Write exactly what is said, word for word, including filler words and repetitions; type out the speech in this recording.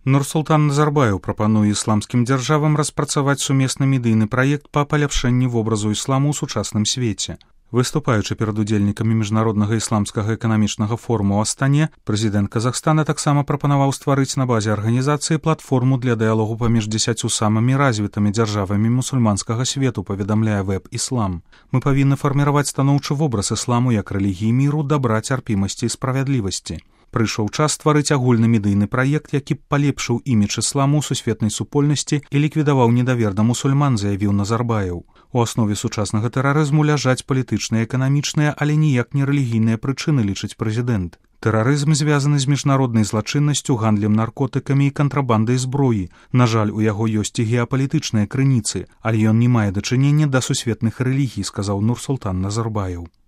Нурсултан Назарбаев прапануе ісламскім дзяржавам распрацаваць сумесны медыйны праект па паляпшэнні вобразу ісламу ў сучасным свеце. Выступаючы перад удзельнікамі міжнароднага ісламскага эканамічнага форуму ў Астане, прэзідэнт Казахстана таксама прапанаваў стварыць на базе арганізацыі платформу для дыялогу паміж дзесяццю самымі развітымі дзяржавамі мусульманскага свету, паведамляе веб «Іслам». Мы павінны фарміраваць станоўчы вобраз ісламу як рэлігіі міру, дабра, цярпімасці і справядлівасці. Прыйшоў час стварыць агульны медыйны праект, які б палепшыў імідж ісламу ў сусветнай супольнасці і ліквідаваў недавер да мусульман, заявіў Назарбаев. У аснове сучаснага тэрарызму ляжаць палітычныя, эканамічныя, але ніяк не рэлігійныя прычыны, лічыць прэзідэнт. Тэрарызм звязаны з міжнароднай злачыннасцю, гандлем наркотыкамі і кантрабандай зброі. На жаль, у яго ёсць і геапалітычныя крыніцы, але ён не мае дачынення да сусветных рэлігій, сказаў Нурсултан Назарбаев.